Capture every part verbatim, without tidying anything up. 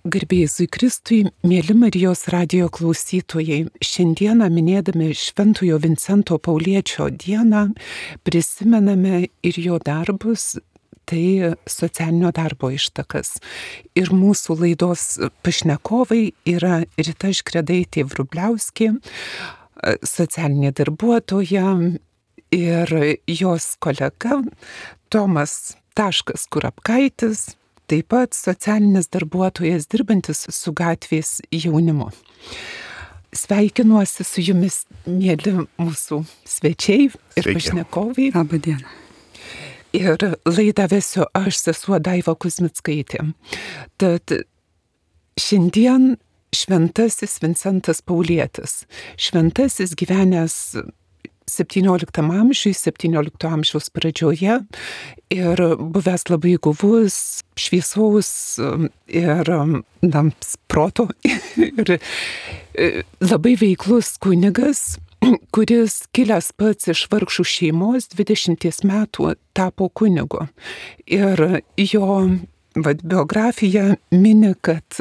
Garbė Jėzui Kristui, mėly Marijos radijo klausytojai, šiandieną minėdami Šventojo Vincento Pauliečio dieną prisimename ir jo darbus, tai socialinio darbo ištakas. Ir mūsų laidos pašnekovai yra Rita Škredaitė Vrubliauskė, socialinė darbuotoja, ir jos kolega Tomas Taškas Kurapkaitis, taip pat socialinis darbuotojas dirbantis su gatvės jaunimu. Sveikinuosi su jumis, mėly mūsų svečiai ir Sveiki. Pašnekovai. Labą dieną. Ir laidą vesiu aš, sesuo Daiva Kuzmickaitė. Tad šiandien šventasis Vincentas Paulietis. Šventasis gyvenęs septynioliktam amžiui, septyniolikto amžiaus pradžioje ir buvęs labai guvus, šviesaus ir na, proto ir labai veiklus kunigas, kuris kilęs pats iš vargšų šeimos, dvidešimties metų tapo kunigu. Ir jo vat, biografija mini, kad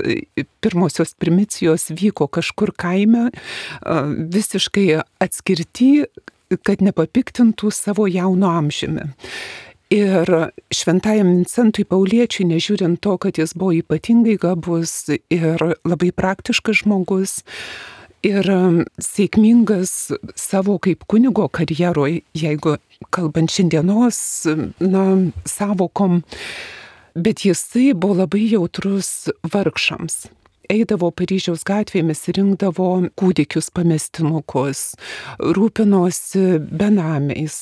pirmosios primicijos vyko kažkur kaime, visiškai atskirti, kad nepapiktintų savo jauno amžiumi. Ir šventajam Vincentui Pauliečiui, nežiūrint to, kad jis buvo ypatingai gabus ir labai praktiškas žmogus ir sėkmingas savo kaip kunigo karjeroje, jeigu kalbant šiandienos na, savokom, bet jisai buvo labai jautrus vargšams. Eidavo Paryžiaus gatvėmis, rinkdavo kūdikius pamestinukus, rūpinosi benamiais,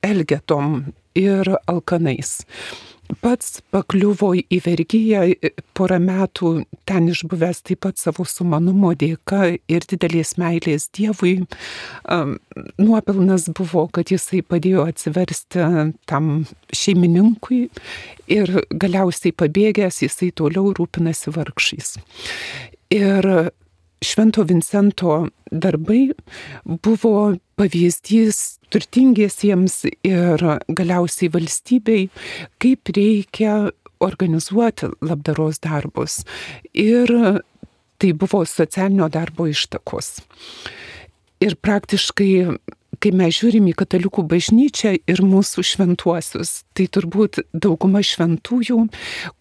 elgetom ir alkanais. Pats pakliuvo į vergiją, porą metų ten išbuvęs taip pat savo sumanumo dėka ir didelės meilės Dievui. Nuopelnas buvo, kad jisai padėjo atsiversti tam šeimininkui ir galiausiai pabėgęs jisai toliau rūpinasi vargšais. Ir Švento Vincento darbai buvo pavyzdys turtingiesiems ir galiausiai valstybei, kaip reikia organizuoti labdaros darbus. Ir tai buvo socialinio darbo ištakos. Ir praktiškai, kai mes žiūrim į katalikų bažnyčią ir mūsų šventuosius, tai turbūt dauguma šventųjų,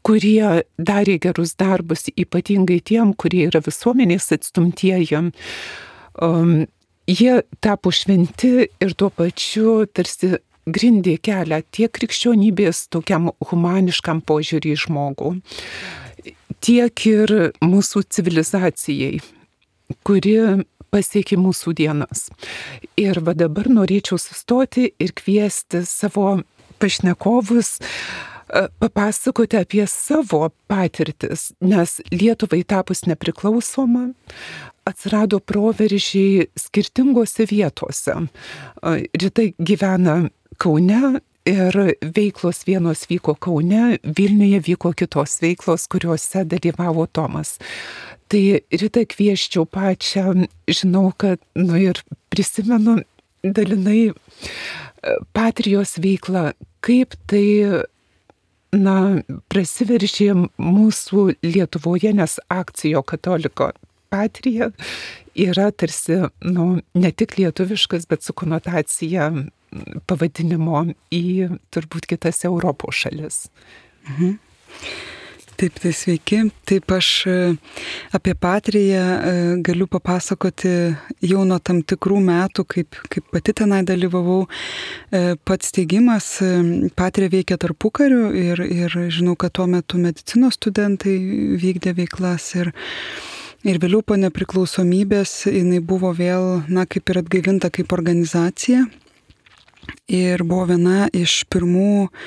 kurie darė gerus darbus, ypatingai tiem, kurie yra visuomenės atstumtieji, um, jie tapo šventi ir tuo pačiu tarsi grindė kelią tiek krikščionybės tokiam humaniškam požiūrį į žmogų, tiek ir mūsų civilizacijai, kuri pasiekė mūsų dienas. Ir va dabar norėčiau sustoti ir kviesti savo pašnekovus papasakoti apie savo patirtis, nes Lietuvai tapus nepriklausoma, atsirado proveržiai skirtingose vietose. Rita gyvena Kaune ir veiklos vienos vyko Kaune, Vilniuje vyko kitos veiklos, kuriuose dalyvavo Tomas. Tai Rita kvieščiau pačią, žinau, kad, nu ir prisimenu dalinai Patrijos veiklą, kaip tai, na, prasiveržė mūsų Lietuvoje, nes akcijo katoliko Patrija yra tarsi, nu, ne tik lietuviškas, bet su konotacija pavadinimo į turbūt kitas Europos šalis. Mhm. Taip, tai sveiki. Taip, aš apie Patriją galiu papasakoti jau nuo tam tikrų metų, kaip, kaip pati tenai dalyvavau. Pats steigimas Patrija veikia tarpukariu ir, ir žinau, kad tuo metu medicinos studentai vykdė veiklas ir, ir vėliau po nepriklausomybės jinai buvo vėl, na, kaip ir atgaivinta kaip organizacija ir buvo viena iš pirmų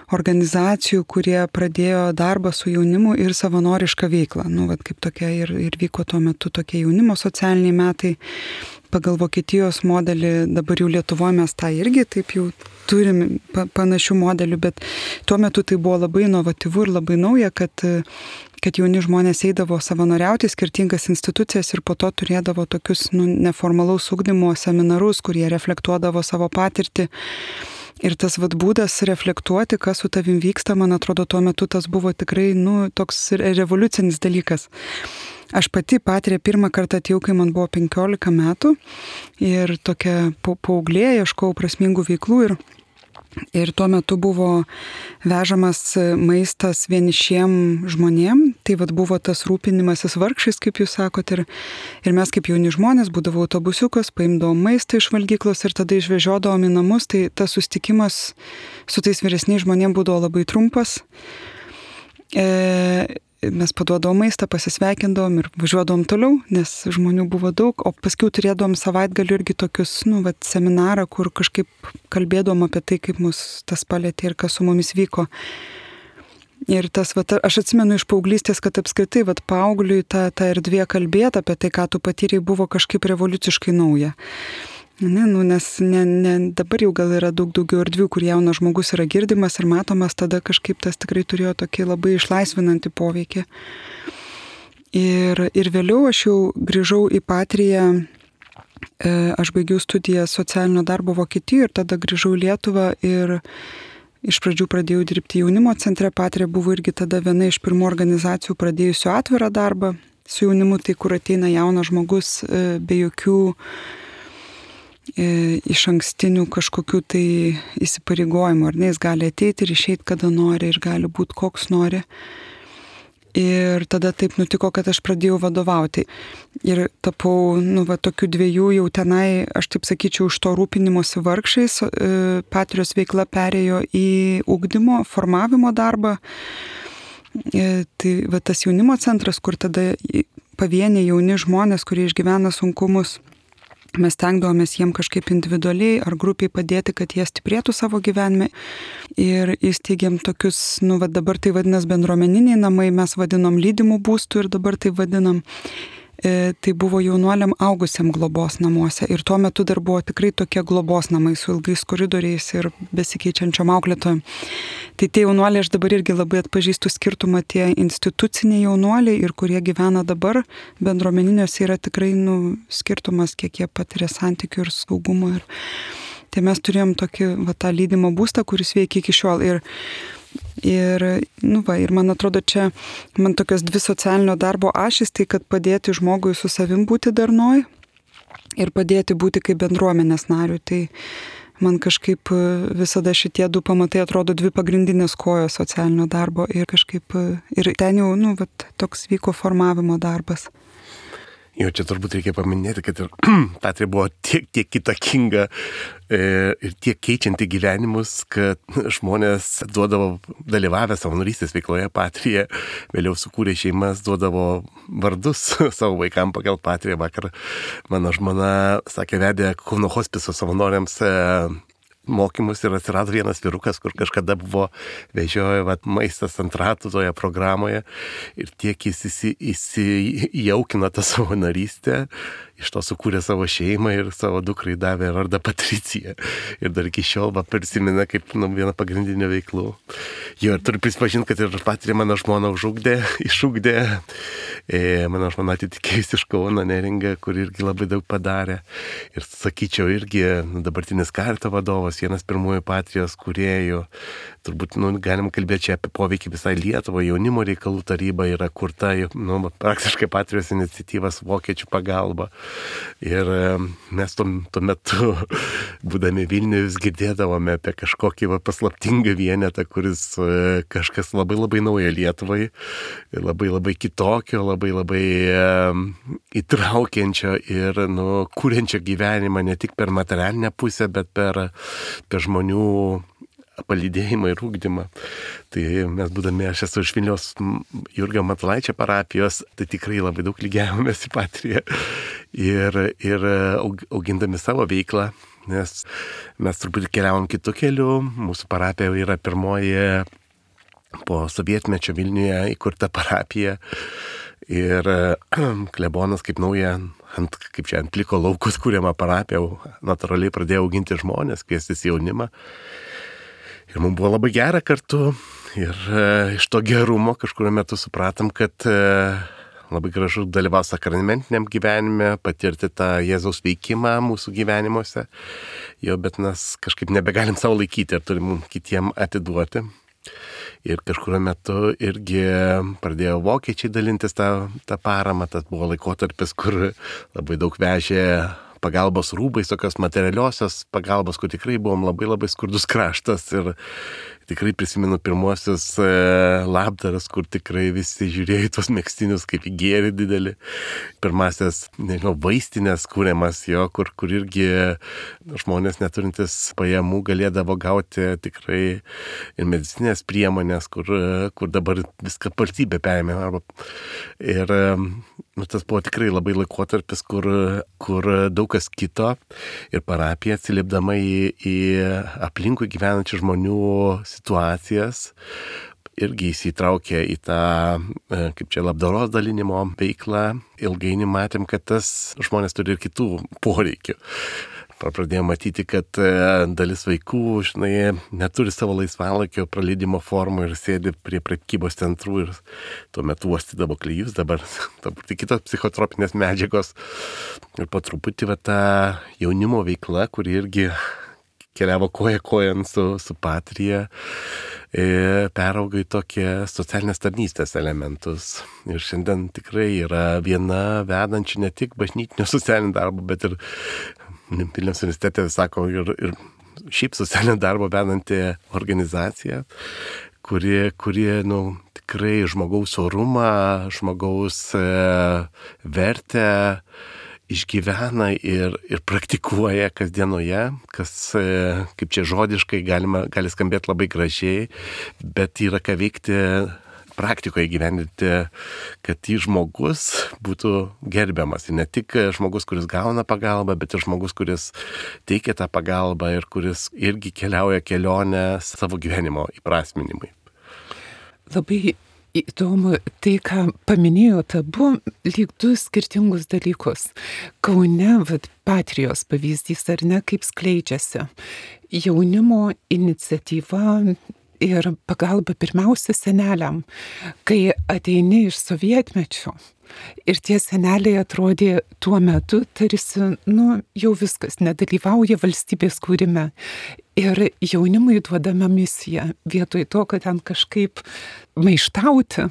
organizacijų, kurie pradėjo darbą su jaunimu ir savanorišką veiklą. Nu, vat, kaip tokia ir, ir vyko tuo metu tokie jaunimo socialiniai metai. Pagal Vokietijos modelį, dabar jau Lietuvoje mes tą irgi taip jau turim panašių modelių, bet tuo metu tai buvo labai inovatyvu ir labai nauja, kad, kad jauni žmonės eidavo savanoriauti skirtingas institucijas ir po to turėdavo tokius nu, neformalaus ugdymo seminarus, kurie reflektuodavo savo patirtį. Ir tas vat būdas reflektuoti, kas su tavim vyksta, man atrodo, tuo metu tas buvo tikrai, nu, toks revoliucinis dalykas. Aš pati patirė pirmą kartą atėjau, kai man buvo penkiolika metų ir tokia paauglė, ieškojau prasmingų veiklų ir, ir tuo metu buvo vežamas maistas vienišiem žmonėm, tai vat buvo tas rūpinimasis vargšais, kaip jūs sakot, ir, ir mes kaip jauni žmonės būdavo autobusiukas, paimdavom maistą iš valgyklos ir tada išvežiodavom į namus, tai tas susitikimas su tais vyresniais žmonėm būdavo labai trumpas. E, Mes paduodavom maistą, pasisveikindavom ir važiuodavom toliau, nes žmonių buvo daug, o paskui turėdavom savaitgalių irgi tokius, nu, vat, seminarą, kur kažkaip kalbėdavom apie tai, kaip mus tas palėtė ir kas su mumis vyko. Ir tas, vat, aš atsimenu iš paauglystės, kad apskritai, vat, paaugliui ta, ta erdvė kalbėti apie tai, ką tu patyrei, buvo kažkaip revoliuciškai nauja. Ne, nu, nes ne, ne, dabar jau gal yra daug daugiau erdvių, kur jaunas žmogus yra girdimas ir matomas, tada kažkaip tas tikrai turėjo tokį labai išlaisvinantį poveikį. Ir, ir vėliau aš jau grįžau į Patriją, e, aš baigiau studiją socialinio darbo Vokietijoje ir tada grįžau į Lietuvą ir iš pradžių pradėjau dirbti jaunimo centre. Patrija buvo irgi tada viena iš pirmų organizacijų pradėjusių atvirą darbą su jaunimu, tai kur ateina jaunas žmogus e, be jokių iš ankstinių kažkokių tai įsipareigojimų, ar ne, jis gali ateiti ir išeiti kada nori ir gali būti koks nori. Ir tada taip nutiko, kad aš pradėjau vadovauti. Ir tapau, nu, va, tokių dviejų jau tenai, aš taip sakyčiau, už to rūpinimosi vargšais. Patrijos veikla perėjo į ugdymo, formavimo darbą. Tai va, tas jaunimo centras, kur tada pavieniai jauni žmonės, kurie išgyvena sunkumus, mes stengdavomės jiem kažkaip individualiai ar grupiai padėti, kad jie stiprėtų savo gyvenime. Ir įsteigėm tokius, nu, va, dabar tai vadinas bendruomeniniai namai, mes vadinom lydimų būstų ir dabar tai vadinam. E, tai buvo jaunuoliam augusiam globos namuose. Ir tuo metu dar buvo tikrai tokie globos namai su ilgais koridoriais ir besikeičiančiom auklėtojom. Tai tie jaunuoliai, aš dabar irgi labai atpažįstu skirtumą, tie instituciniai jaunuoliai ir kurie gyvena dabar bendruomeniniuose, yra tikrai, nu, skirtumas, kiek jie patiria santykių ir saugumo. Ir tai mes turėjom tokį, va, tą lydimo būstą, kuris veikia iki šiol. Ir Ir, nu va, ir man atrodo, čia man tokios dvi socialinio darbo ašys, tai kad padėti žmogui su savim būti darnoj ir padėti būti kaip bendruomenės nariui. Tai man kažkaip visada šitie du pamatai atrodo dvi pagrindinės kojos socialinio darbo ir kažkaip, ir ten jau, nu, va, toks vyko formavimo darbas. Jau čia turbūt reikia paminėti, kad ir Patrija buvo tiek, tiek kitokinga e, ir tiek keičianti gyvenimus, kad žmonės duodavo, dalyvavę savanorystės veikloje Patrija, vėliau sukūrė šeimas, duodavo vardus savo vaikam pagal Patriją. Vakar mano žmona, sakė, vedė Kauno hospiso savanoriams e, mokymus ir atsirado vienas vyrukas, kur kažkada buvo vežiojo vat, maistas ant ratų toje programoje ir tiek jis įsi, įsijaukino tą savo narystę, iš to sukūrė savo šeimą ir savo dukrai davė vardą Patricija. Ir dar iki šiol va, prisimena kaip nu, vieną pagrindinių veiklų. Jo, ir turiu prisipažinti, kad ir Patrija mano žmona užugdė, išugdė. E, mano žmona atitikėjusi iš Kauno Neringą, kur irgi labai daug padarė. Ir sakyčiau, irgi nu, dabartinis Karito vadovas, vienas pirmųjų Patrijos kūrėjų. Turbūt nu, galim kalbėti čia apie poveikį visai Lietuvą. Jaunimo reikalų taryba yra kurta, nu, praktiškai Patrijos iniciatyvas vokiečių pagalba. Ir mes tuo, tuo metu, būdami Vilniuje, vis girdėdavome apie kažkokį va, paslaptingą vienetą, kuris kažkas labai labai naujo Lietuvai, labai labai kitokio, labai labai um, įtraukiančio ir nu, kūrenčio gyvenimą ne tik per materialinę pusę, bet per, per žmonių palydėjimą ir ūkdymą. Tai mes būdami, aš esu iš Vilniaus Jurgio Matulaičio parapijos, tai tikrai labai daug lygiavomės į Patriją ir, ir augindami savo veiklą, nes mes truputį keliavom kitų kelių. Mūsų parapija yra pirmoji po sovietmečio Vilniuje įkurta parapija ir klebonas kaip nauja ant, kaip čia, ant pliko laukus kūriamą parapiją natūraliai pradėjo auginti žmonės, kviestis jaunimą. Ir mums buvo labai gera kartu ir e, iš to gerumo kažkurio metu supratom, kad e, labai gražu dalyvauti sakramentiniam gyvenime, patirti tą Jėzaus veikimą mūsų gyvenimuose. Jo, bet mes kažkaip nebegalim savo laikyti ir turim kitiem atiduoti. Ir kažkurio metu irgi pradėjo vokiečiai dalintis tą, tą paramą, tas buvo laikotarpis, kur labai daug vežė pagalbos rūbais, tokios materialiosios pagalbos, kur tikrai buvom labai labai skurdus kraštas ir tikrai prisimenu pirmuosius e, labdaras, kur tikrai visi žiūrėjo į tuos megztinius kaip į gėrį didelį. Pirmasis, nežinau, vaistinės kūriamas jo, kur, kur irgi žmonės neturintis pajamų galėdavo gauti tikrai ir medicinės priemonės, kur, kur dabar viską valstybė perėmė. Arba, ir nu, tas buvo tikrai labai laikotarpis, kur, kur daug kas kito ir parapija atsiliepdama į, į aplinkui gyvenančių žmonių situacijas irgi įsitraukė į tą, kaip čia, labdaros dalinimo veiklą. Ilgainiui matėm, kad tas žmonės turi ir kitų poreikių. Pradėjome matyti, kad dalis vaikų, žinai, neturi savo laisvalaikio praleidimo formų ir sėdi prie prekybos centrų ir tuo metu uostydavo klijus, dabar tai kitos psichotropinės medžiagos. Ir po truputį va, ta jaunimo veikla, kuri irgi keliavo koja kojan su, su Patrija, e, perauga į tokie socialinės tarnystės elementus. Ir šiandien tikrai yra viena vedančių ne tik bažnytinio socialinio darbo, bet ir Vilniaus universitete, sako, ir, ir šiaip socialinio darbo vedanti organizacija, kuri, kuri nu, tikrai žmogaus orumą, žmogaus e, vertę išgyvena ir, ir praktikuoja kasdienoje, kas, kaip čia žodiškai galima, gali skambėti labai gražiai, bet yra ką veikti praktikoje gyvendinti, kad į žmogus būtų gerbiamas. Ir ne tik žmogus, kuris gauna pagalbą, bet ir žmogus, kuris teikia tą pagalbą ir kuris irgi keliauja kelionę savo gyvenimo įprasminimui. Labai įdomu, tai, ką paminėjote, abu lyg du skirtingus dalykus. Kaune, vat, Patrijos pavyzdys, ar ne, kaip skleidžiasi jaunimo iniciatyva ir pagalba pirmiausia seneliam, kai ateini iš sovietmečio. Ir tie seneliai atrodė tuo metu tarsi, nu, jau viskas, nedalyvauja valstybės kūrime. Ir jaunimui duodama misija, vietoj to, kad ten kažkaip maištauti.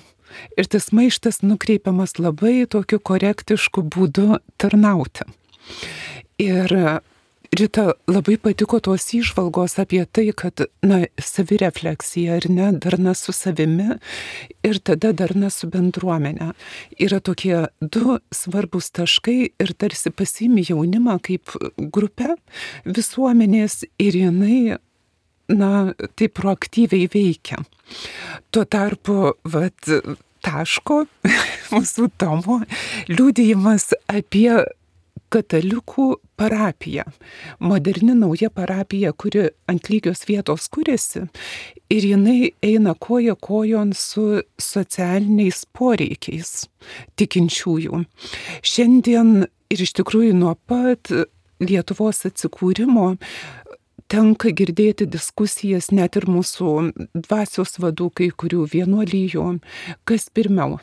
Ir tas maištas nukreipiamas labai tokiu korektišku būdu tarnauti. Ir Rita, labai patiko tos įžvalgos apie tai, kad, na, savirefleksija, ar ne, darna su savimi ir tada darna su bendruomenė. Yra tokie du svarbus taškai ir tarsi pasiimi jaunimą kaip grupę visuomenės ir jinai, na, taip proaktyviai veikia. Tuo tarpu, vat, taško, mūsų Tomo, liudijimas apie katalikų parapija. Moderni nauja parapija, kuri ant lygios vietos kuriasi ir jinai eina koja kojon su socialiniais poreikiais tikinčiųjų. Šiandien ir iš tikrųjų nuo pat Lietuvos atsikūrimo tenka girdėti diskusijas net ir mūsų dvasios vadų, kai kurių vienuolijų, kas pirmiau.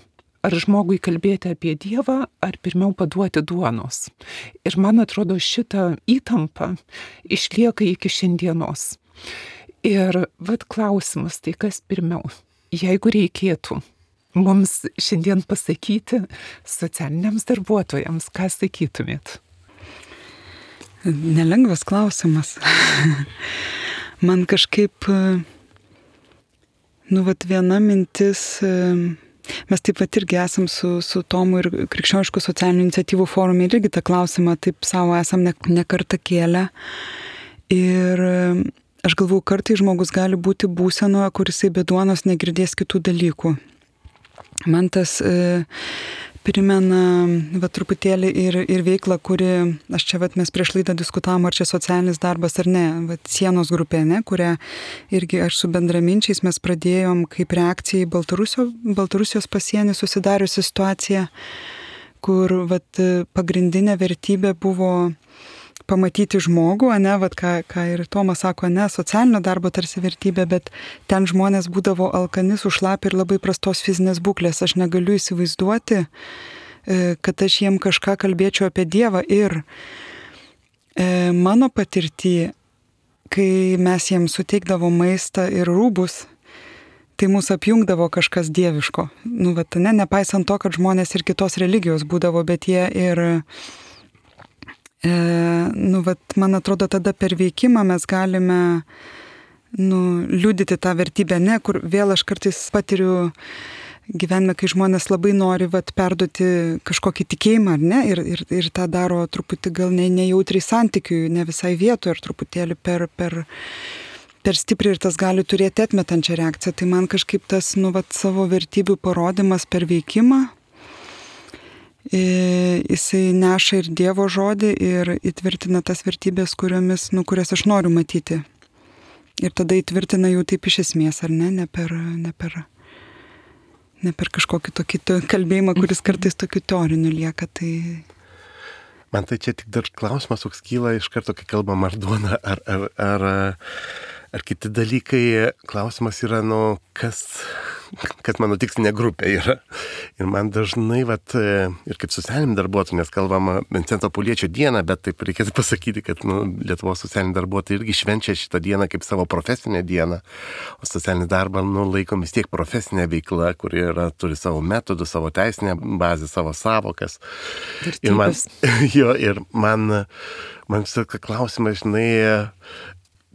Ar žmogui kalbėti apie Dievą, ar pirmiau paduoti duonos. Ir man atrodo, šita įtampa išlieka iki šiandienos. Ir vat klausimas, tai kas pirmiau? Jeigu reikėtų mums šiandien pasakyti socialiniams darbuotojams, ką sakytumėt? Nelengvas klausimas. Man kažkaip, nu, vat viena mintis... Mes taip pat irgi esam su, su Tomu ir Krikščioniškų socialinių iniciatyvų forume ir irgi tą klausimą taip savo esam ne, ne kartą kėlę. Ir aš galvoju, kartai žmogus gali būti būsenoje, kur jisai be duonos negirdės kitų dalykų. Man tas e, primena va, truputėlį ir, ir veiklą, kuri, aš čia va, mes prieš laidą diskutavom, ar čia socialinis darbas ar ne, va, sienos grupė, ne, kurią irgi aš su bendraminčiais mes pradėjom kaip reakcija į Baltarusio, Baltarusijos pasienį susidariusi situaciją, kur va, pagrindinė vertybė buvo pamatyti žmogų, ne, vat, ką, ką ir Tomas sako, ne, socialinio darbo tarsi vertybė, bet ten žmonės būdavo alkani, sušlapę ir labai prastos fizinės būklės. Aš negaliu įsivaizduoti, kad aš jiem kažką kalbėčiau apie Dievą. Ir e, mano patirtį, kai mes jiems suteikdavo maistą ir rūbus, tai mūsų apjungdavo kažkas dieviško. Nu, vat, ne, nepaisant to, kad žmonės ir kitos religijos būdavo, bet jie ir... E, nu, vat, man atrodo, tada per veikimą mes galime nu, liudyti tą vertybę, ne, kur vėl aš kartais patiriu gyvenime, kai žmonės labai nori vat, perduoti kažkokį tikėjimą, ar ne, ir, ir, ir tą daro truputį gal ne, nejautriai santykiui, ne visai vietoje, ir truputėlį per, per, per stipriai, ir tas gali turėti atmetančią reakciją. Tai man kažkaip tas nu, vat, savo vertybių parodimas per veikimą, jisai neša ir Dievo žodį ir įtvirtina tas vertybės, kuriomis, nu, kurias aš noriu matyti. Ir tada įtvirtina jų taip iš esmės, ar ne, ne per, ne per, ne per kažkokį tokį kalbėjimą, kuris kartais tokiu teoriniu lieka. Tai... Man tai čia tik dar klausimas, koks kyla iš karto, kai kalbam ar duona, ar, ar, ar, ar kiti dalykai. Klausimas yra, nu, kas... kad mano tikslinė grupė yra. Ir man dažnai, vat, ir kaip socialiniam darbuotojui, nes kalbam Vincento Pauliečio dieną, bet taip reikėtų pasakyti, kad nu, Lietuvos socialiniai darbuotojai irgi švenčia šitą dieną kaip savo profesinę dieną, o socialinį darbą nu, laikom vis tiek profesinė veikla, kuri yra, turi savo metodų, savo teisinę bazę, savo savokas. Vertybės. Ir man, jo, ir man, man visą klausimą, žinai,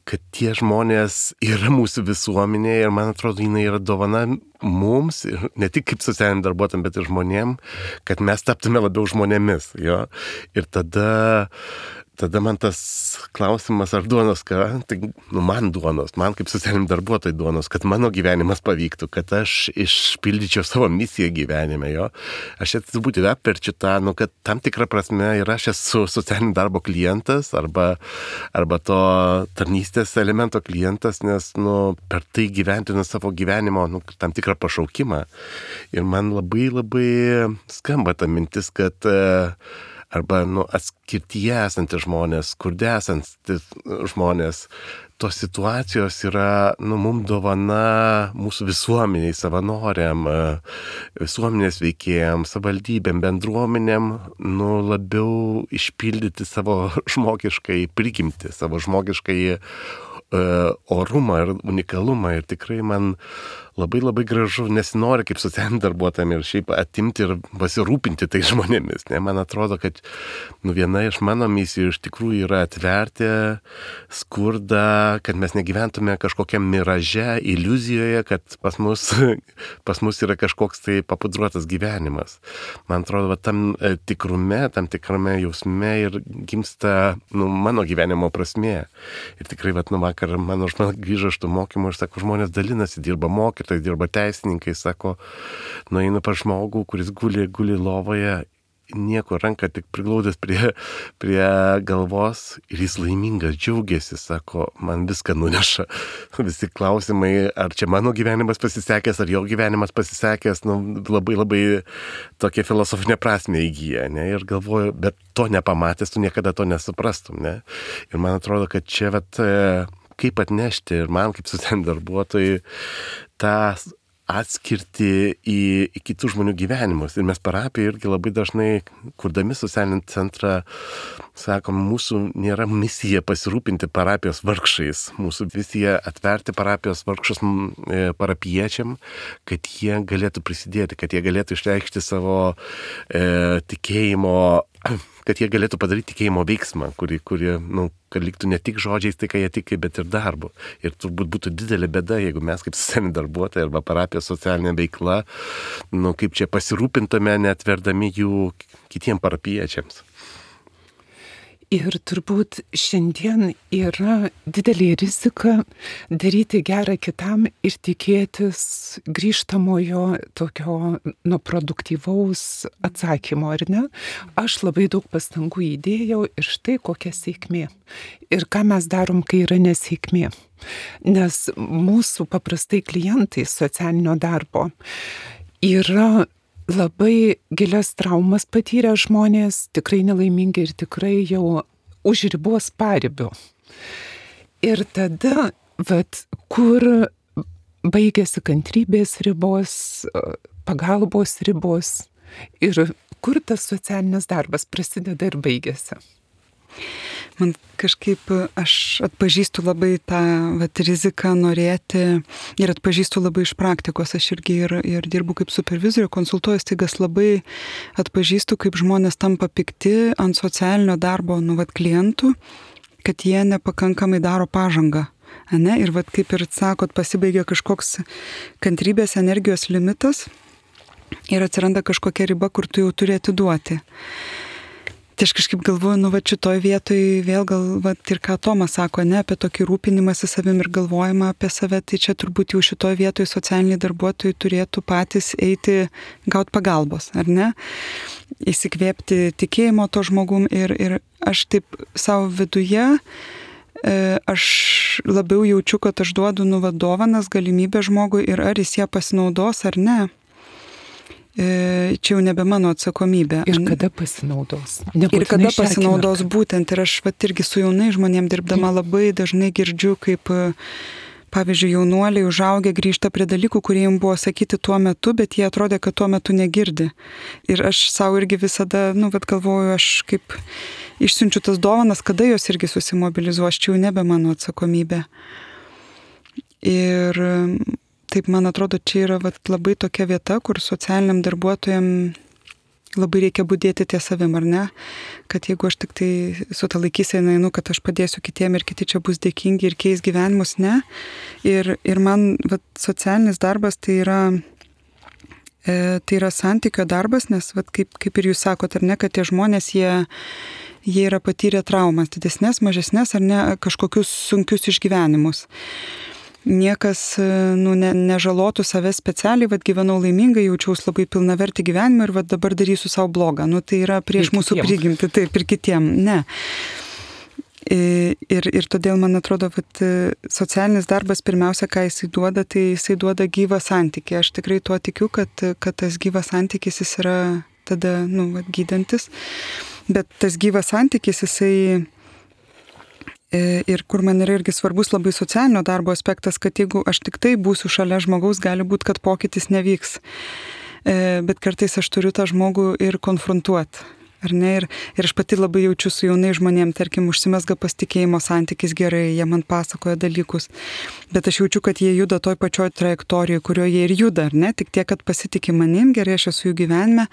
kad tie žmonės yra mūsų visuomenėje ir man atrodo, jinai yra dovana mums, ne tik kaip socialiniam darbuotojam, bet ir žmonėm, kad mes taptume labiau žmonėmis. Jo? Ir tada, tada man tas klausimas, ar duonos ką, tai nu, man duonos, man kaip socialiniam darbuotojai duonos, kad mano gyvenimas pavyktų, kad aš išpildyčiau savo misiją gyvenime. Jo? Aš čia turbūt ir apverčiu tą, nu, kad tam tikrą prasme ir aš esu socialinio darbo klientas arba, arba to tarnystės elemento klientas, nes nu, per tai gyventinu savo gyvenimo nu, tam tikrą pašaukimą. Ir man labai labai skamba ta mintis, kad arba nu, atskirtyje esantys žmonės, skurde esantys žmonės, tos situacijos yra nu, mums dovana mūsų visuomeniai, savanoriam, visuomenės veikėjam, savivaldybėm, bendruomenėm, nu, labiau išpildyti savo žmogiškai prigimtį, savo žmogiškai uh, orumą ir unikalumą. Ir tikrai man labai labai gražu, nesinori kaip socialiniam darbuotojam ir šiaip atimti ir pasirūpinti tai žmonėmis. Ne? Man atrodo, kad nu, viena iš mano misijų iš tikrųjų yra atverti skurdą, kad mes negyventume kažkokiam miraže, iliuzijoje, kad pas mus, pas mus yra kažkoks tai papudruotas gyvenimas. Man atrodo, va, tam tikrume, tam tikrame jausme ir gimsta nu, mano gyvenimo prasmė. Ir tikrai, va, nu, vakar mano žmona grįžo iš tų mokymų ir sako, žmonės dalinasi, dirba mokytojai, dirba teisininkai, sako, nueinu pas žmogų, kuris guli, guli lovoje, nieko ranką tik priglaudęs prie, prie galvos ir jis laimingas, džiaugiasi, sako, man viską nuneša. Visi klausimai, ar čia mano gyvenimas pasisekęs, ar jo gyvenimas pasisekęs, nu, labai labai tokia filosofinė prasmė įgyja, ne? Ir galvoju, bet to nepamatęs, tu niekada to nesuprastum, ne? Ir man atrodo, kad čia vat, kaip atnešti ir man kaip socialiniam darbuotojui tą atskirti į, į kitų žmonių gyvenimus. Ir mes parapijoje irgi labai dažnai, kurdami socialinį centrą, sakom, mūsų nėra misija pasirūpinti parapijos vargšais. Mūsų misija atverti parapijos vargšus parapiečiam, kad jie galėtų prisidėti, kad jie galėtų išreikšti savo e, tikėjimo, kad jie galėtų padaryti tikėjimo veiksmą, kurį, kurį, nu, kad liktų ne tik žodžiais tai, ką jie tiki, bet ir darbu. Ir turbūt būtų didelė bėda, jeigu mes kaip socialiniai darbuotojai arba parapijos socialinė veikla, nu, kaip čia pasirūpintume, neatverdami jų kitiem parapiečiams. Ir turbūt šiandien yra didelė rizika daryti gerą kitam ir tikėtis grįžtamojo tokio nu, produktyvaus atsakymo, ar ne? Aš labai daug pastangų įdėjau ir štai kokia sėkmė. Ir ką mes darom, kai yra nesėkmė. Nes mūsų paprastai klientai socialinio darbo yra labai gilias traumas patyrę žmonės, tikrai nelaimingi ir tikrai jau už ribos paribių. Ir tada, vat, kur baigėsi kantrybės ribos, pagalbos ribos ir kur tas socialinis darbas prasideda ir baigėsi. Man kažkaip, aš atpažįstu labai tą vat, riziką norėti ir atpažįstu labai iš praktikos. Aš irgi ir, ir dirbu kaip supervizorių, konsultuoju staigas, labai atpažįstu, kaip žmonės tampa pikti ant socialinio darbo nu, vat, klientų, kad jie nepakankamai daro pažangą. Ane? Ir vat, kaip ir sakot, pasibaigia kažkoks kantrybės energijos limitas ir atsiranda kažkokia riba, kur tu jau turi atiduoti. Tai aš kažkaip galvoju, nu va šitoj vietoj vėl gal, va ir ką Tomas sako, ne, apie tokį rūpinimąsi savim ir galvojimą apie save, tai čia turbūt jau šitoj vietoj socialiniai darbuotojai turėtų patys eiti gauti pagalbos, ar ne? Įsikvėpti tikėjimo to žmogum ir, ir aš taip savo viduje, aš labiau jaučiu, kad aš duodu nu va dovanas, galimybę žmogui ir ar jis ją pasinaudos ar ne. Čia jau nebe mano atsakomybė. Ir kada pasinaudos? Ir kada pasinaudos būtent. Ir aš vat irgi su jaunai žmonėm dirbdama labai dažnai girdžiu, kaip, pavyzdžiui, jaunuoliai užaugę grįžta prie dalykų, kurie jums buvo sakyti tuo metu, bet jie atrodė, kad tuo metu negirdi. Ir aš savo irgi visada, nu, vat galvoju, aš kaip išsiunčiu tas dovanas, kada jos irgi susimobilizuos, čia jau nebe mano atsakomybė. Ir taip, man atrodo, čia yra vat, labai tokia vieta, kur socialiniam darbuotojam labai reikia budėti ties savim, ar ne? Kad jeigu aš tik tai su ta laikysena einu, kad aš padėsiu kitiem ir kiti čia bus dėkingi ir keis gyvenimus, ne. Ir, ir man vat, socialinis darbas tai yra, e, tai yra santykio darbas, nes vat, kaip, kaip ir jūs sakot, ar ne, kad tie žmonės, jie, jie yra patyrę traumas, didesnės, mažesnės, ar ne, kažkokius sunkius išgyvenimus. Niekas nu, ne, nežalotų savęs specialiai, vad gyvenau laimingai, jaučiaus labai pilnavertį gyvenimą ir vad dabar darysiu savo blogą. Nu, tai yra prieš mūsų prigimtį, taip ir kitiem. Ne. Ir, ir todėl, man atrodo, kad socialinis darbas pirmiausia, ką jisai duoda, tai jisai duoda gyvą santykį. Aš tikrai tuo tikiu, kad, kad tas gyvas santykis jis yra tada nu, vat, gydantis. Bet tas gyvas santykis jisai... Ir kur man yra irgi svarbus labai socialinio darbo aspektas, kad jeigu aš tik tai būsiu šalia žmogaus, gali būti, kad pokytis nevyks. Bet kartais aš turiu tą žmogų ir konfrontuoti. Ar ne? Ir, ir aš pati labai jaučiu su jaunai žmonėm, tarkim, užsimesga pasitikėjimo santykis gerai, jie man pasakoja dalykus. Bet aš jaučiu, kad jie juda toj pačioj trajektorijoje, kurioje jie ir juda, ar ne? Tik tiek, kad pasitikė manim, gerai aš esu jų gyvenime.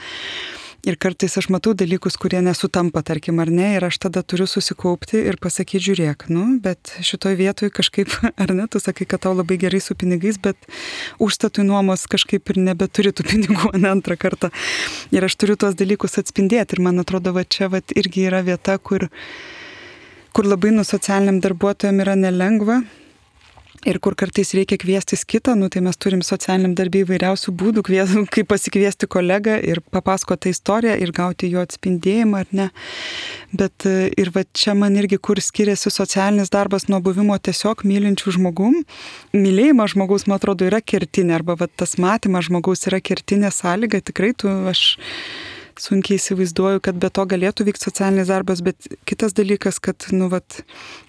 Ir kartais aš matau dalykus, kurie nesutampa, tarkim, ar ne, ir aš tada turiu susikaupti ir pasakyti, žiūrėk, nu, bet šitoj vietoj kažkaip, ar ne, tu sakai, kad tau labai gerai su pinigais, bet užstatui nuomos kažkaip ir nebeturi tų pinigų, ne antrą kartą. Ir aš turiu tuos dalykus atspindėti ir man atrodo, va čia va irgi yra vieta, kur, kur labai nu socialiniam darbuotojam yra nelengva. Ir kur kartais reikia kviestis kitą, nu, tai mes turim socialiniam darbį įvairiausių būdų, kvies, kaip pasikviesti kolegą ir papasakoti tą istoriją ir gauti jo atspindėjimą, ar ne. Bet ir va čia man irgi, kur skiriasi socialinis darbas nuo buvimo tiesiog mylinčių žmogum. Mylėjimas žmogaus, man atrodo, yra kertinė, arba va tas matymas žmogaus yra kertinė sąlyga. Tikrai tu, aš sunkiai įsivaizduoju, kad be to galėtų vykti socialinis darbas, bet kitas dalykas, kad nu, vat,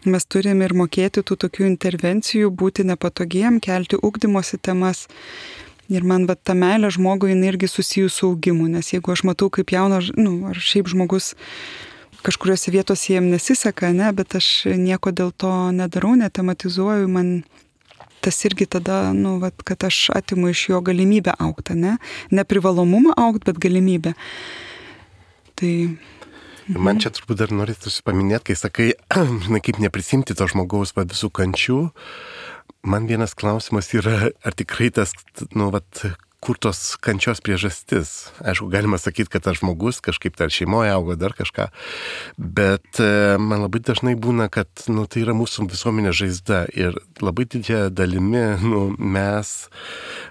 mes turime ir mokėti tų tokių intervencijų, būti nepatogiem, kelti ugdymosi temas. Ir man vat, ta meilė žmogui jinai irgi susijus su augimu, nes jeigu aš matau, kaip jaunas, nu, ar šiaip žmogus kažkuriuose vietose jiem nesiseka, ne, bet aš nieko dėl to nedarau, netematizuoju, man tas irgi tada, nu, vat, kad aš atimu iš jo galimybę augti, ne? Ne privalomumą augti, bet galimybę. Tai... Man čia turbūt dar norėtų paminėti, kai sakai, žinai, kaip neprisimti to žmogaus va, visų kančių. Man vienas klausimas yra, ar tikrai tas, nu, vat, kur tos kančios priežastis. Aišku, galima sakyti, kad tas žmogus kažkaip dar šeimoje augo, dar kažką, bet man labai dažnai būna, kad nu, tai yra mūsų visuomenės žaizda ir labai didžiąją dalimi nu, mes,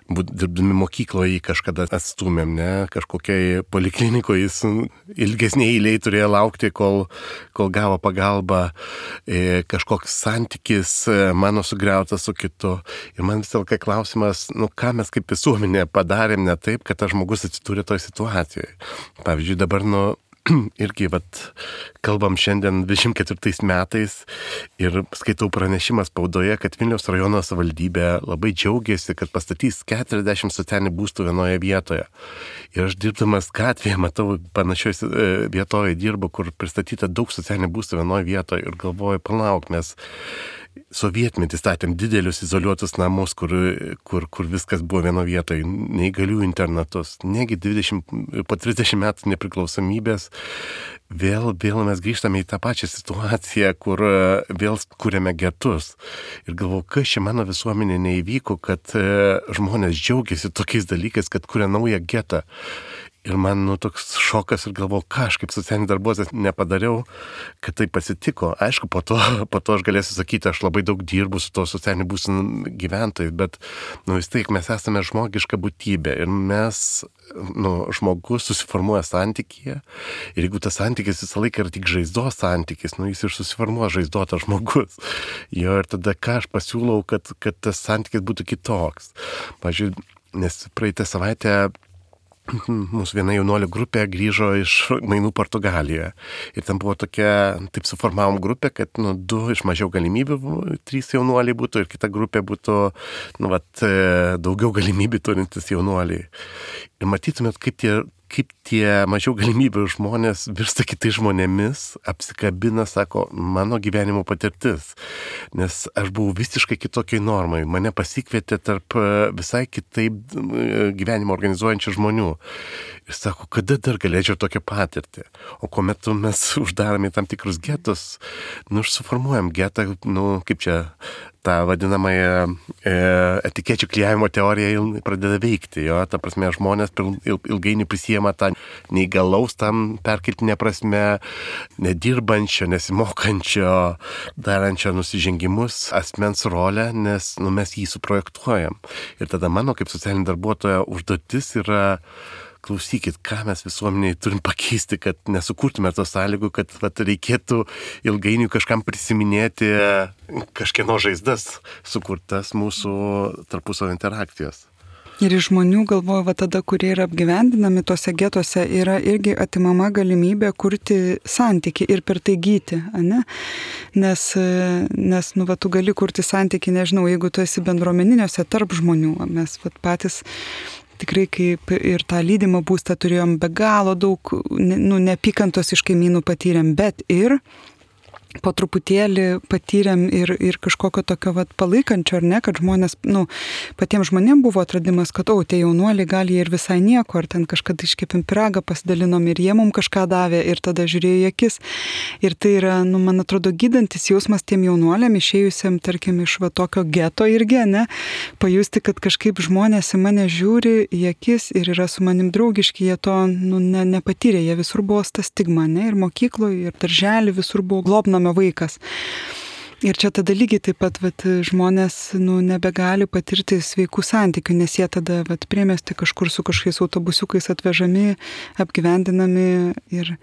dirbdami mokykloje, jį kažkada atstūmėm, ne, kažkokiai poliklinikoje jis ilgesniai eiliai turėjo laukti, kol, kol gavo pagalbą, e, kažkoks santykis mano sugriautas su kitu. Ir man vis dėlto klausimas, nu, ką mes kaip visuomenė padarėm ne taip, kad tas žmogus atsidūrė toj situacijoje. Pavyzdžiui, dabar, nu, irgi, vat, kalbam šiandien dvidešimt ketvirtais metais ir skaitau pranešimą spaudoje, kad Vilniaus rajono savivaldybė labai džiaugiasi, kad pastatys keturiasdešimt socialinių būstų vienoje vietoje. Ir aš dirbdamas gatvėje, matau, panašioje vietoje dirbu, kur pristatyta daug socialinių būstų vienoje vietoje ir galvoju, palauk, mes sovietmetį statėm didelius izoliuotus namus, kur, kur, kur viskas buvo vieno vietoje, neįgalių internatus. Negi dvidešimt, po trisdešimt metų nepriklausomybės vėl, vėl mes grįžtame į tą pačią situaciją, kur vėl kūrėme getus. Ir galvoju, kas čia mano visuomenė neįvyko, kad žmonės džiaugiasi tokiais dalykais, kad kūrė naują getą. Ir man nu, toks šokas ir galvoju, ką aš kaip socialinis darbuotojas nepadariau, kad tai pasitiko. Aišku, po to, po to aš galėsiu sakyti, aš labai daug dirbu su to socialiniu būstų gyventojais, bet nu, vis tiek mes esame žmogiška būtybė ir mes, nu, žmogus susiformuoja santykyje ir jeigu tas santykis visą laiką yra tik žaizdos santykis, nu, jis ir susiformuoja žaizdotas žmogus. Jo, ir tada ką aš pasiūlau, kad, kad tas santykis būtų kitoks. Pavyzdžiui, nes praeitą savaitę mūsų viena jaunuolių grupė grįžo iš mainų Portugalijoje. Ir ten buvo tokia, taip suformavom grupę, kad nu, du iš mažiau galimybių, trys jaunuoliai būtų ir kita grupė būtų nu, vat, daugiau galimybių turintis jaunuoliai. Ir matytumėt, kaip tie, kaip tie mažiau galimybių žmonės virsta kitais žmonėmis, apsikabina, sako, mano gyvenimo patirtis. Nes aš buvau visiškai kitokiai normai. Mane pasikvietė tarp visai kitaip gyvenimo organizuojančių žmonių. Ir sako, kada dar galėčiau tokią patirtį. O kuomet mes uždarome tam tikrus getus, nu, suformuojam getą, nu, kaip čia, tą vadinamąją e, etikečių klijavimo teoriją pradeda veikti. Jo? Ta prasme, žmonės ilgainiui prisijama tą neįgalaus tam perkeltinė prasme, nedirbančio, nesimokančio, darančio nusižengimus asmens rolę, nes nu, mes jį suprojektuojam. Ir tada mano kaip socialinio darbuotojo užduotis yra klausykit, ką mes visuomeniai turim pakeisti, kad nesukurtume tos sąlygų, kad vat, reikėtų ilgainiui kažkam prisiminėti kažkieno žaizdas sukurtas mūsų tarpusavio interakcijos. Ir iš žmonių galvoju, va tada, kurie yra apgyvendinami tose getuose, yra irgi atimama galimybė kurti santykį ir per tai gyti, ane? Nes, nes nu, va, tu gali kurti santykį, nežinau, jeigu tu esi bendruomeniniuose tarp žmonių, mes va, patys tikrai kaip ir tą lydimą būstą turėjom be galo daug, nu, neapykantos iš kaimynų patyrėm, bet ir po truputėlį patyrėm ir, ir kažkokio tokio vat, palaikančio, ar ne, kad žmonės, nu, patiems žmonėms buvo atradimas, kad, o, tie jaunuoliai gali ir visai nieko, ar ten kažkada iškepim pyragą, pasidalinom ir jie mums kažką davė ir tada žiūrėjo į akis. Ir tai yra, nu, man atrodo, gydantis jausmas tiem jaunuoliam, išėjusiam, tarkim, iš va tokio geto irgi, ne, pajusti, kad kažkaip žmonės į mane žiūri į akis ir yra su manim draugiški, jie to, nu, ne, nepatyrė, jie visur buvo ta stigma, ne, ir mokykloje, ir darželį visur buvo globnami vaikas. Ir čia tada lygiai taip pat vat, žmonės nu, nebegali patirti sveikų santykių, nes jie tada vat, priemesti kažkur su kažkokiais autobusiukais atvežami, apgyvendinami ir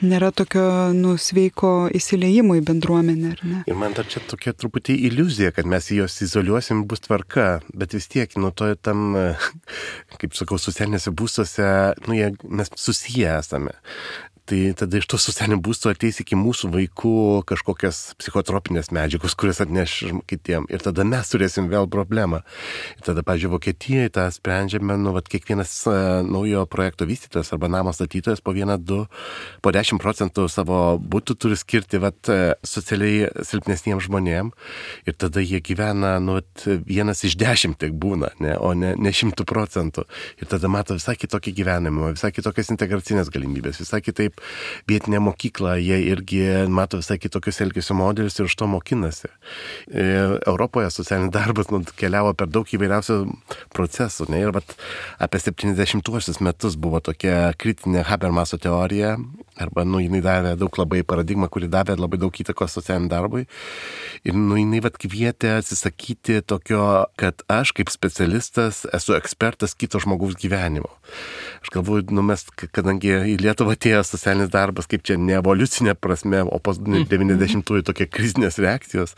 nėra tokio nu, sveiko įsileimo į bendruomenę. Ar ne? Ir man dar čia tokia truputį iliuzija, kad mes juos izoliuosim, bus tvarka, bet vis tiek, nu, to tam, kaip sakau, socialinėse būstuose, nu, jie, mes susiję esame. Tai tada iš to socialinio būsto ateis iki mūsų vaikų kažkokias psichotropinės medžiagos, kurias atneš kitiem. Ir tada mes turėsim vėl problemą. Ir tada, pavyzdžiui, Vokietijoje tą sprendžiame, nu, vat, kiekvienas uh, naujo projekto vystytojas arba namo statytojas po vieną, du, po dešimt procentų savo būtų turi skirti vat, socialiai silpnesniems žmonėm. Ir tada jie gyvena, nu, vat, vienas iš dešimt tik būna, ne, o ne, ne šimtų procentų. Ir tada mato visai kitokį gyvenimą, visai kitokias integracinės galimybės, visai kitaip vietinė mokykla, jie irgi mato visai kitokius elgesio modelius ir iš to mokinasi. Europoje socialinis darbas nu, keliavo per daug įvairiausių procesų. Ne? Ir vat, apie septyniasdešimtuosius metus buvo tokia kritinė Habermaso teorija, arba nu, jinai davė daug labai paradigmą, kuri davė labai daug įtakos socialiniam darbui. Ir nu, jinai vat, kvietė atsisakyti tokio, kad aš kaip specialistas esu ekspertas kito žmogaus gyvenimo. Aš galvoju, nu, mes, kadangi į Lietuvą atėjo socialinis darbas, kaip čia ne evoliucinė prasme, o po devyniasdešimtųjų tokie krizinės reakcijos,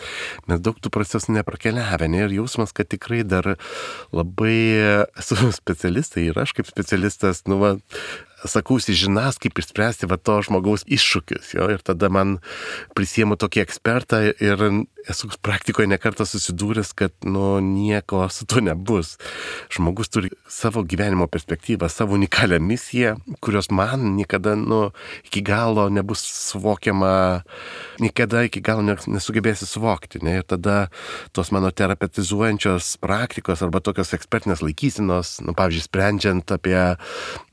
mes daug tų procesų neprakeliavę. Ne? Ir jausmas, kad tikrai dar labai esu specialistai ir aš kaip specialistas, nu, va, sakausi žinas, kaip išspręsti va to žmogaus iššūkius. Jo? Ir tada man prisiemu tokį ekspertą ir esu praktikoje nekartą susidūręs, kad nu, nieko su to nebus. Žmogus turi savo gyvenimo perspektyvą, savo unikalią misiją, kurios man niekada nu, iki galo nebus suvokiama, niekada iki galo nesugebėsi suvokti. Ne? Ir tada tos mano terapeutizuojančios praktikos arba tokios ekspertinės laikysinos, nu, pavyzdžiui, sprendžiant apie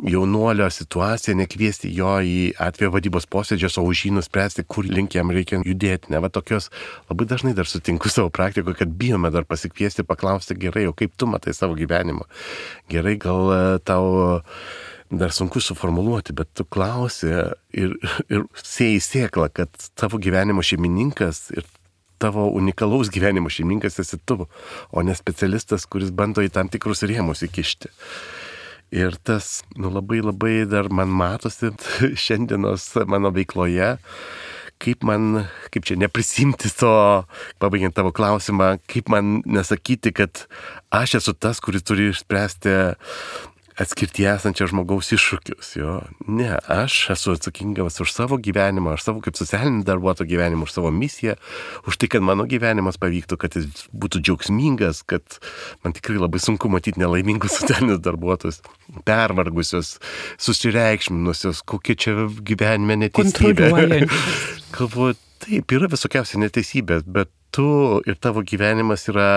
jaunuolio situaciją, nekviesti jo į atvejo vadybos posėdžius, o už jį nuspręsti, kur link jam reikia judėti. Ne? Va tokios labai dažnai dar sutinku savo praktikoje, kad bijome dar pasikviesti, paklausti gerai, o kaip tu matai savo gyvenimą. Gerai, gal tau dar sunku suformuluoti, bet tu klausi ir, ir sėjai sėklą, kad tavo gyvenimo šeimininkas ir tavo unikalaus gyvenimo šeimininkas esi tu, o ne specialistas, kuris bando į tam tikrus rėmus įkišti. Ir tas nu, labai labai dar man matosi šiandienos mano veikloje, kaip man, kaip čia neprisimti to, pabaigiant tavo klausimą, kaip man nesakyti, kad aš esu tas, kuris turi išspręsti atskirti esančio žmogaus iššūkius. Jo. Ne, aš esu atsakingas už savo gyvenimą, už savo kaip socialinį darbuotojo gyvenimą, už savo misiją, už tai, kad mano gyvenimas pavyktų, kad jis būtų džiaugsmingas, kad man tikrai labai sunku matyti nelaimingus socialinius darbuotojus, pervargusius, susireikšminusius, kokie čia gyvenime neteisybė. Galvoju, taip, yra visokiausia neteisybės, bet tu ir tavo gyvenimas yra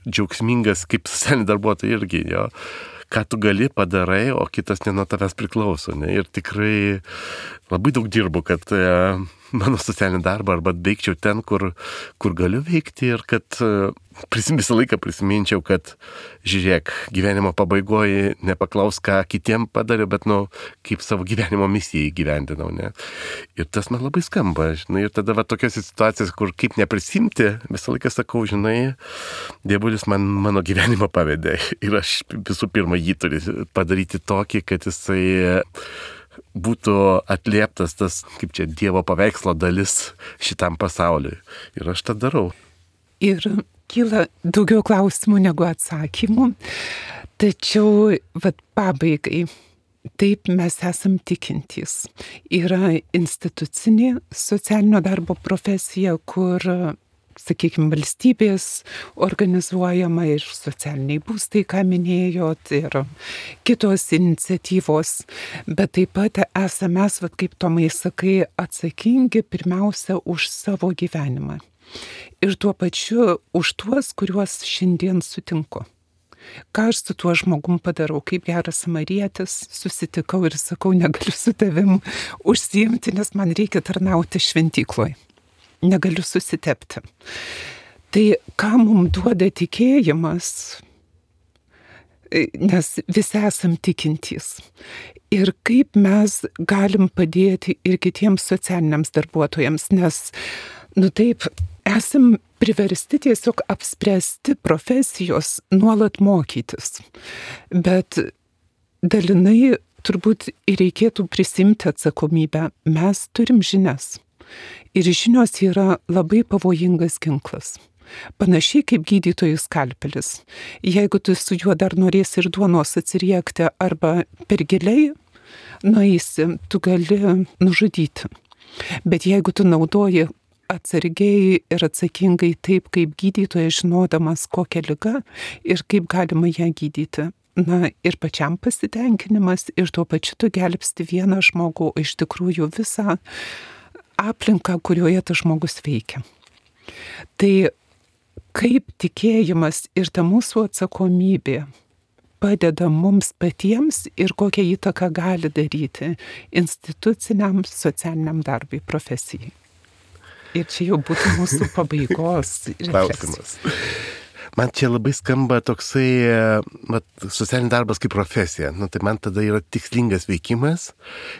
džiaugsmingas kaip socialinį darbuotoją irgi, jo. Ką tu gali padarai, o kitas ne nuo tavęs priklauso. Ne? Ir tikrai labai daug dirbu, kad e, mano socialinį darbą arba veikčiau ten, kur, kur galiu veikti ir kad e, prisim, visą laiką prisiminčiau, kad žiūrėk, gyvenimo pabaigoje nepaklaus, ką kitiem padariau, bet nu, kaip savo gyvenimo misiją įgyvendinau. Ne? Ir tas man labai skamba. Žinai, ir tada va, tokios situacijas, kur kaip neprisimti, visą laiką sakau, žinai, Dievulis man mano gyvenimą pavedė. Ir aš visų pirma jį turi padaryti tokį, kad jisai būtų atlieptas tas, kaip čia, Dievo paveikslo dalis šitam pasauliui. Ir aš tą darau. Ir kyla daugiau klausimų negu atsakymų. Tačiau, vat pabaigai, taip mes esam tikintys. Yra institucinė socialinio darbo profesija, kur, sakykime, valstybės organizuojama ir socialiniai būstai, ką minėjot, ir kitos iniciatyvos. Bet taip pat esame mes, vat, kaip Tomai sakai, atsakingi pirmiausia už savo gyvenimą. Ir tuo pačiu už tuos, kuriuos šiandien sutinku. Ką aš su tuo žmogum padarau, kaip geras samarietis, susitikau ir sakau, negaliu su tavim užsiimti, nes man reikia tarnauti šventykloje. Negaliu susitepti. Tai ką mums duoda tikėjimas, nes visi esam tikintys. Ir kaip mes galim padėti ir kitiems socialiniams darbuotojams, nes, nu taip, esam priversti tiesiog apspręsti profesijos nuolat mokytis. Bet dalinai turbūt ir reikėtų prisimti atsakomybę. Mes turim žinias. Ir žinios yra labai pavojingas ginklas. Panašiai kaip gydytojų skalpelis. Jeigu tu su juo dar norėsi ir duonos atsiriekti arba per giliai nueisi, tu gali nužudyti. Bet jeigu tu naudoji atsargiai ir atsakingai taip, kaip gydytojas, žinodamas kokią ligą ir kaip galima ją gydyti, na ir pačiam pasitenkinimas, ir tuo pačiu tu gelbsti vieną žmogų, iš tikrųjų visą aplinką, kurioje tas žmogus veikia. Tai kaip tikėjimas ir ta mūsų atsakomybė padeda mums patiems ir kokią įtaką gali daryti instituciniam socialiniam darbui, profesijai. Ir čia jau būtų mūsų pabaigos klausimas. Man čia labai skamba toksai mat, socialinis darbas kaip profesija. Nu, tai man tada yra tikslingas veikimas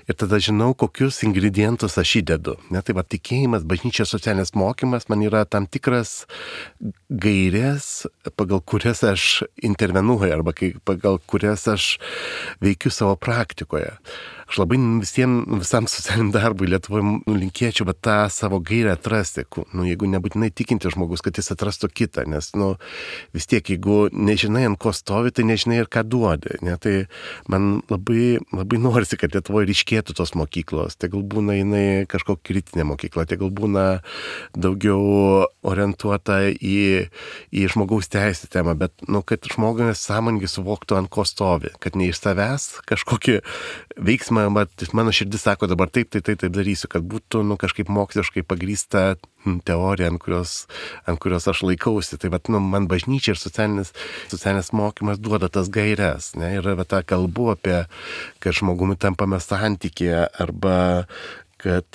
ir tada žinau, kokius ingredientus aš įdedu. Ne, tai va, tikėjimas, bažnyčios socialinis mokymas man yra tam tikras gairės, pagal kurias aš intervenuoju arba kai, pagal kurias aš veikiu savo praktikoje. aš labai visiems, visam socialiniam darbui Lietuvoje nu, linkėčiau, bet tą savo gairę atrasti, nu, jeigu nebūtinai tikinti žmogus, kad jis atrastų kitą, nes nu, vis tiek, jeigu nežinai, ant ko stovi, tai nežinai ir ką duodi. Ne? Tai man labai, labai norisi, kad Lietuvoje ryškėtų tos mokyklos, tai gal būna jinai kažkokia kritinė mokykla, tai gal būna daugiau orientuota į, į žmogaus teisų temą, bet nu, kad žmogus sąmoningai suvoktų, ant ko stovi, kad ne iš savęs kažkokį veiksmą, bet mano širdis sako dabar taip, tai taip, taip darysiu, kad būtų nu, kažkaip moksliškai pagrįsta teorija, ant kurios, ant kurios aš laikausi. Tai vat, nu, man bažnyčia ir socialinis, socialinis mokymas duoda tas gairias. Ne? Ir va, tą kalbu apie, kad žmogumi tampame santykėje arba kad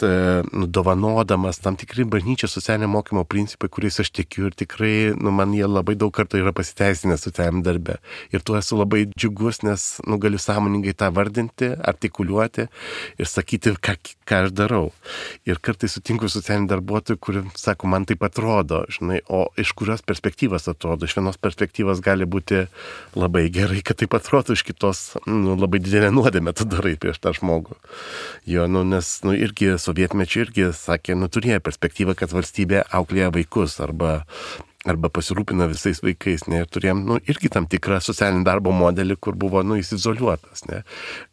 nu, dovanodamas tam tikri bažnyčios socialinio mokymo principai, kuriais aš tikiu ir tikrai nu, man jie labai daug kartų yra pasiteisinę socialiniam darbe. Ir tuo esu labai džiugus, nes nu, galiu sąmoningai tą vardinti, artikuliuoti ir sakyti, ką, ką aš darau. Ir kartais sutinku socialinį darbuotojų, kurie sako, man taip atrodo, žinai, o iš kurios perspektyvos atrodo. Iš vienos perspektyvos gali būti labai gerai, kad taip atrodo, iš kitos nu, labai didelė nuodėmė tu darai prieš tą žmogų. Jo, nu, nes nu, ir irgi sovietmečiu irgi sakė, nu turėjo perspektyvą, kad valstybė auklėja vaikus arba, arba pasirūpina visais vaikais, ne, ir turėjom, nu, irgi tam tikrą socialinį darbo modelį, kur buvo, nu, įsizoliuotas, ne,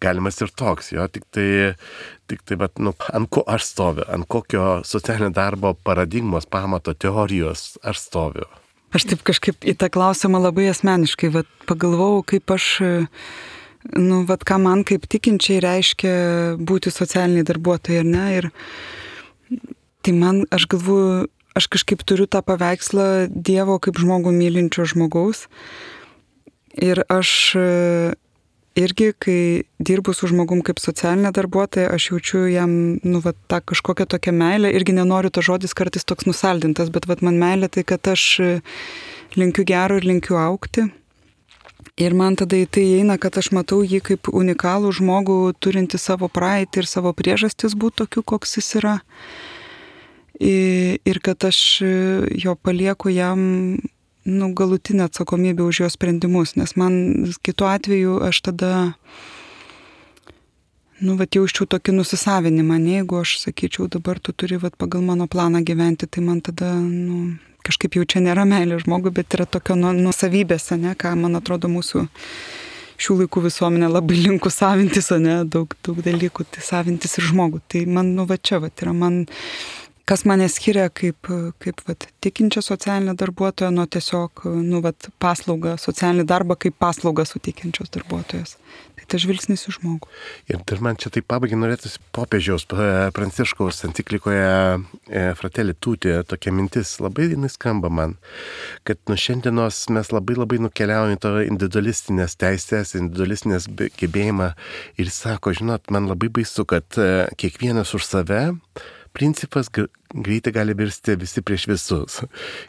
galimas ir toks, jo, tik tai, tik tai, bet, nu, ant ko aš stoviu, ant kokio socialinio darbo paradigmos, pamato, teorijos aš stoviu. Aš taip kažkaip į tą klausimą labai asmeniškai, vat, pagalvojau, kaip aš nu, vat, ką man kaip tikinčiai reiškia būti socialiniai darbuotojai, ar ne? Ir tai man, aš galvoju, aš kažkaip turiu tą paveikslą Dievo kaip žmogų mylinčio žmogaus. Ir aš irgi, kai dirbu su žmogum kaip socialinė darbuotoja, aš jaučiu jam, nu, vat, tą kažkokią tokią meilę. Irgi nenoriu, to žodis kartais toks nusaldintas, bet vat, man meilė tai, kad aš linkiu gero ir linkiu augti. Ir man tada į tai eina, kad aš matau jį kaip unikalų žmogų, turinti savo praeitį ir savo priežastis būti tokiu, koks jis yra. Ir kad aš jo palieku jam nu, galutinę atsakomybę už jo sprendimus, nes man kitu atveju aš tada nu, vat, jaučiu tokį nusisavinimą. Ne, jeigu aš sakyčiau, dabar tu turi vat, pagal mano planą gyventi, tai man tada nu, kažkaip jau čia nėra meilė žmogui, bet yra tokio nuosavybės, ne, ką man atrodo mūsų šių laikų visuomenė labai linku savintis, ne, daug, daug dalykų, tai savintis ir žmogų. Tai man, nu, va čia, va, yra man, kas mane skiria kaip, kaip va, tikinčia socialinė darbuotoja, nuo tiesiog, nu, va, paslaugą, socialinį darbą kaip paslaugą suteikiančios darbuotojas. Tai tas žvilgsnis į žmogų. Ir dar man čia taip pabaigai norėtųsi popiežiaus Pranciškaus enciklikoje Fratelli Tutti tokia mintis, labai jinai skamba man, kad nuo šiandienos mes labai labai nukeliaujame to individualistinės teisės, individualistinės gebėjimą ir sako, žinot, man labai baisu, kad kiekvienas už save principas greitai gali virsti visi prieš visus.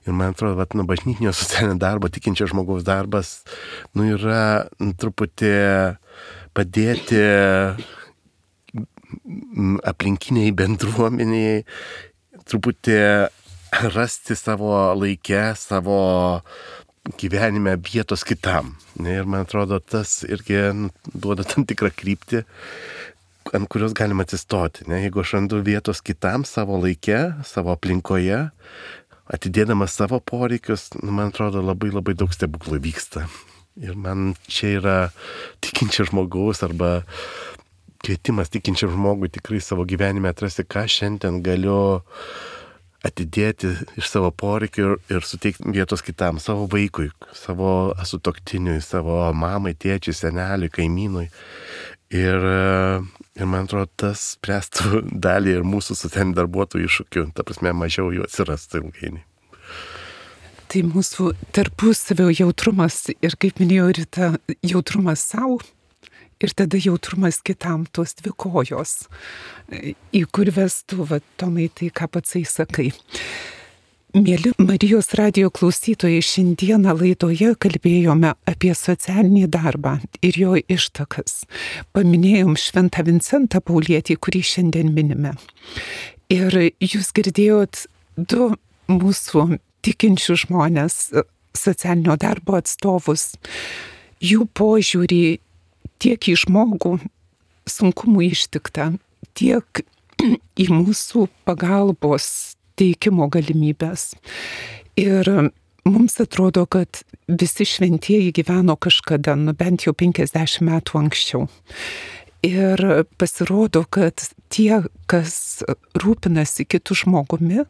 Ir man atrodo, vat, nu, bažnytinio socialinio darbo, tikinčio žmogaus darbas, nu, yra nu, truputį padėti aplinkiniai bendruomeniai, truputį rasti savo laikę, savo gyvenime vietos kitam. Ir man atrodo, tas irgi nu, duoda tam tikrą kryptį, ant kurios galima atsistoti. Ne? Jeigu aš randu vietos kitam savo laike, savo aplinkoje, atidėdamas savo poreikius, nu, man atrodo, labai labai daug stebuklų vyksta. Ir man čia yra tikinčio žmogaus arba kvietimas tikinčiam žmogui tikrai savo gyvenime atrasti, ką šiandien galiu atidėti iš savo poreikių ir, ir suteikti vietos kitam, savo vaikui, savo sutuoktiniui, savo mamai, tėčiui, seneliui, kaimynui. Ir, ir man atrodo, tas spręstų dalį ir mūsų socialinių darbuotojų iššūkių, ta prasme, mažiau jų atsirastų ilgainiui. Tai mūsų tarpusavio jautrumas ir, kaip minėjau, Rita, jautrumas savo ir tada jautrumas kitam, tos dvi kojos, į kur vestų, va, Tomai, tai ką patsai sakai. Mėly Marijos radijo klausytojai, šiandieną laidoje kalbėjome apie socialinį darbą ir jo ištakas. Paminėjom Šventą Vincentą Paulietį, kurį šiandien minime. Ir jūs girdėjot du mūsų tikinčių žmonės, socialinio darbo atstovus, jų požiūrį tiek į žmogų, sunkumų ištikta, tiek į mūsų pagalbos teikimo galimybės. Ir mums atrodo, kad visi šventieji gyveno kažkada, nu bent jau penkiasdešimt metų anksčiau. Ir pasirodo, kad tie, kas rūpinasi kitų žmogumi,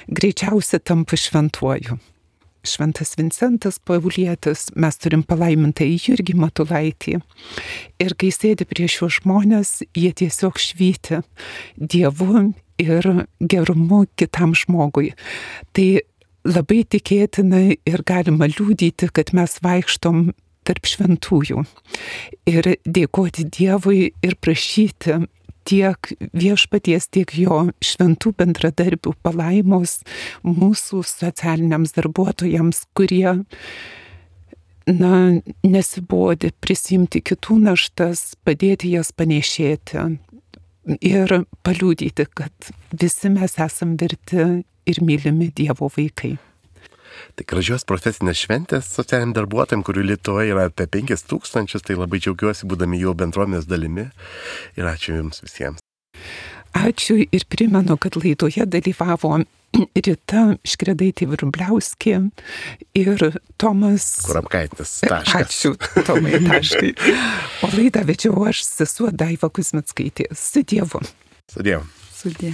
greičiausiai tampa šventuoju. Šventas Vincentas Paulietis, mes turim palaimintąjį Jurgį Matulaitį. Ir kai sėdi prieš šiuos žmonės, jie tiesiog švyti Dievu ir gerumu kitam žmogui. Tai labai tikėtina ir galima liūdyti, kad mes vaikštom tarp šventųjų ir dėkoti Dievui ir prašyti tiek viešpaties, tiek jo šventų bendradarbių palaimos mūsų socialiniams darbuotojams, kurie na, nesibodi prisimti kitų naštas, padėti jas panešėti ir paliudyti, kad visi mes esam verti ir mylimi Dievo vaikai. Tai gražios profesinės šventės socialiniam darbuotojam, kurių Lietuvoje yra apie penkis tūkstančius, tai labai džiaugiuosi būdami jų bendruomenės dalimi ir ačiū Jums visiems. Ačiū ir primenu, kad laidoje dalyvavo Rita Škredaitė-Vrubliauskė ir Tomas Kurapkaitis. Taškas. Ačiū, Tomai, taškai. O laidą vedžiau aš, sesuo Daiva Kuzmickaitė. Su Dievu. Su Dievu. Sudie.